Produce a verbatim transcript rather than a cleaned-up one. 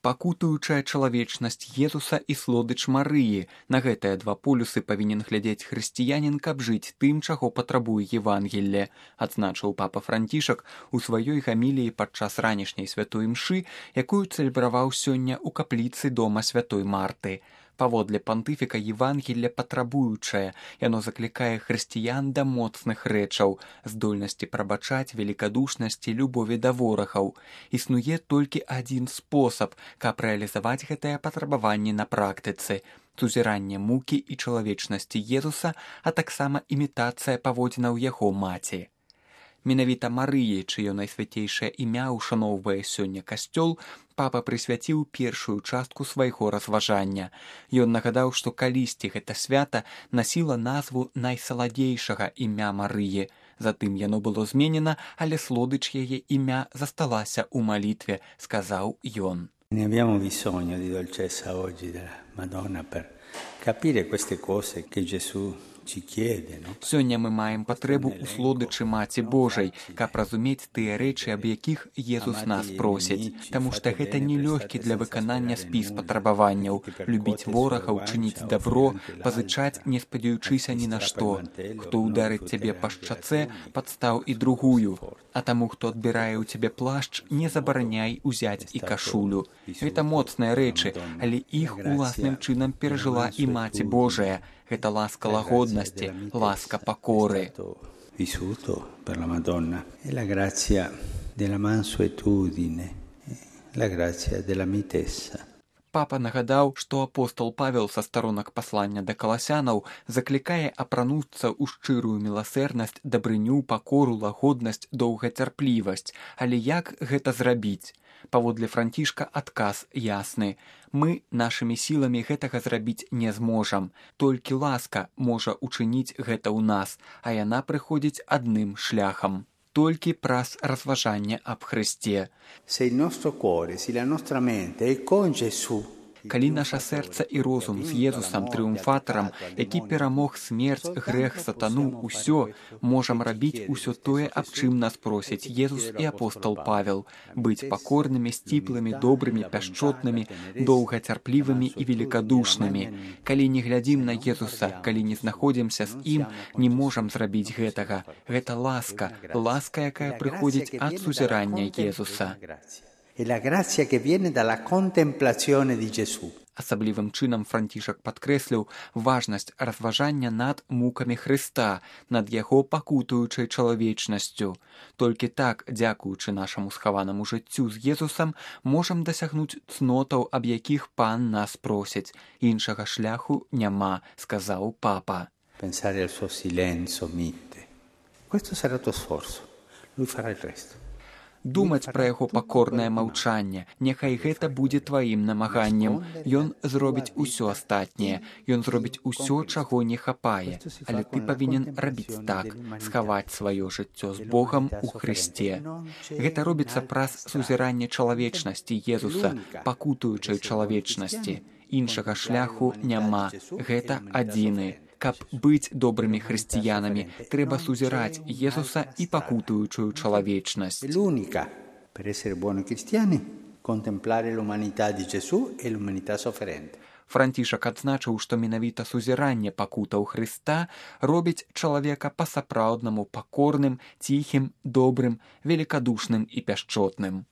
Пакутуючая чалавечнасць Езуса і слодыч Марыі. На гэтыя два полюсы павінен глядзець хрысціянін, каб жыць тым, чаго патрабуе Евангелле, адзначыў папа Францішак у сваёй гаміліі падчас ранішняй святой імшы, якую цэлебраваў сёння ў капліцы дома святой Марты. Паводле пантыфіка Евангелле патрабуючае, яно заклікае хрысціян да моцных рэчаў, здольнасці прабачаць, велікадушнасці, любові да ворагаў. Існуе толькі адзін спосаб, каб рэалізаваць гэтыя патрабаванні на практыцы – сузіранне мукі і чалавечнасці Езуса, а таксама імітацыя паводзінаў яго маці. Менавіта Марыі, чыё найсвяцейшае імя ушаноўвае сёння касцёл, папа прысвяціў першую частку свайго разважання. Ён нагадаў, што калісьці гэта свята насіла назву найсаладзейшага імя Марыі. Затым яно было зменена, але слодыч яе імя засталася ў малітве, сказаў ён. Ne abbiamo bisogno di dolcezza oggi della Madonna per capire queste cose che Gesù ci chiede, no? Сёння мы маем патрэбу ў слодычы Маці Божай, каб разумець тыя рэчы, аб якіх Езус нас просіць, таму што гэта нелёгкі для выканання спіс патрабаванняў, любіць ворагаў, чыніць дабро, пазычаць, не спадзяючыся ні на што. Хто ударыць цябе па шчацэ, падстаў і другую, а таму, хто адбірае ў цябе плашч, не забараняй узяць і кашулю. Гэта моцныя рэчы, але іх уласным чынам перажыла і Маці Божая. Гэта ласка лагоднасці, ласка пакоры. Vissuto per la Madonna e la grazia della mansuetudine, la grazia della mitezza. Папа нагадаў, што апостол Павел са старонак паслання да каласянаў заклікае апрануцца ў шчырую міласэрнасць, дабрыню, пакору, лагоднасць, доўгацярплівасць. Але як гэта зрабіць? Паводле Францішка адказ ясны. Мы нашымі сіламі гэтага зрабіць не зможам. Толькі ласка можа учыніць гэта ў нас, а яна прыходзіць адным шляхам. Толькі праз разважанне аб Хрысце. Se il nostro cuore, se la nostra mente è con Gesù, Калі наша сэрца і розум з Езусам трыумфатарам, які перамог смерць, грэх, сатану, усё, можам рабіць усё тое, аб чым нас просяць Езус і апостол Павел, быць пакорнымі, сціплымі, добрымі, пяшчотнымі, доўгацярплівымі і велікадушнымі. Калі не глядзім на Езуса, калі не знаходзімся з ім, не можам зрабіць гэтага. Гэта ласка, ласка, якая прыходзіць ад сузірання Езуса. E la grazia che viene dalla contemplazione di Gesù. Асаблівым чынам Францішак падкрэсліў важнасць разважання над мукамі Хрыста, над яго пакутуючай чалавечнасцю. Толькі так, дзякуючы нашаму схаванаму жыццю з Езусам, можам дасягнуць цнотаў, аб якіх Пан нас просіць. Іншага шляху няма, сказаў папа. Pensare al suo silencio mite. Questo sarà il tuo sforzo. Lui farà il resto. Думаць пра яго пакорнае маўчанне, няхай гэта будзе тваім намаганнем. Ён зробіць усё астатняе, ён зробіць усё, чаго не хапае. Але ты павінен рабіць так, схаваць сваё жыццё з Богам у Хрысце. Гэта робіцца праз сузіранне чалавечнасці Езуса, пакутуючай чалавечнасці. Іншага шляху няма, гэта адзіны. Каб быць добрымі хрысціянамі, трэба сузіраць Езуса і пакутуючую чалавечнасць. L'unica per essere buoni cristiani, contemplare l'umanità di Gesù e l'umanità sofferente. Францішак адзначыў, што менавіта сузіранне пакутаў Хрыста робіць чалавека па-сапраўднаму пакорным, ціхім, добрым, велікадушным і пяшчотным.